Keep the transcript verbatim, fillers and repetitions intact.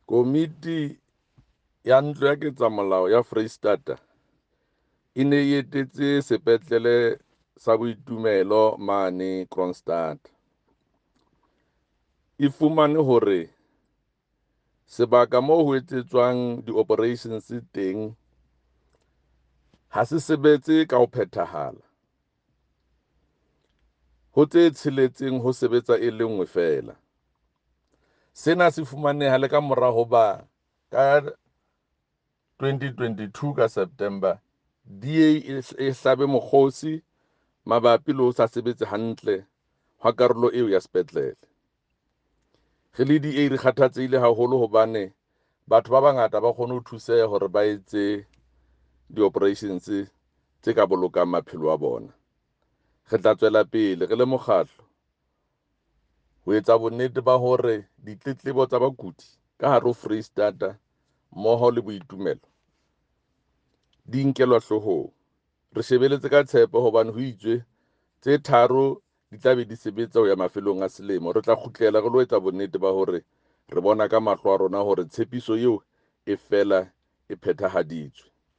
Komiti ya Ntlo ya Ketsamolao ya Freistata e ne e etetse sepetlele sa Boitumelo mane Kroonstad. E fumane hore sebaka moo ho etsetswang di-operations teng ha se sebetse ka ho phethahala. Ho tse tsheletseng ho sebetsa e le nngwe feela. Sena se fumaneha le ka mora hoba ka twenty twenty-two ka September D A e hlabe mokgosi mabapi le ho sa sebetse hantle hwa karolo eo ya sepetlele. Re le D A re kgathatsehile haholo hobane batho ba bangata ba kgone ho thuseha hore ba etse di-operations tse ka bolokang maphelo a bona. Re tla tswela pele re le mokgatlo ho etsa bonnete ba hore ditletlebo tsa bakudi ka hare ho Freistata mmoho le Boitumelo di nkelwa hloohong. Re shebeletse ka tshepo hobane ho itswe tse tharo di tla be di sebetsa ho ya mafelong a selemo. Re tla kgutlela re lo etsa bonnete ba hore re bona ka mahlo a rona hore tshepiso eo e fela e phethahaditswe.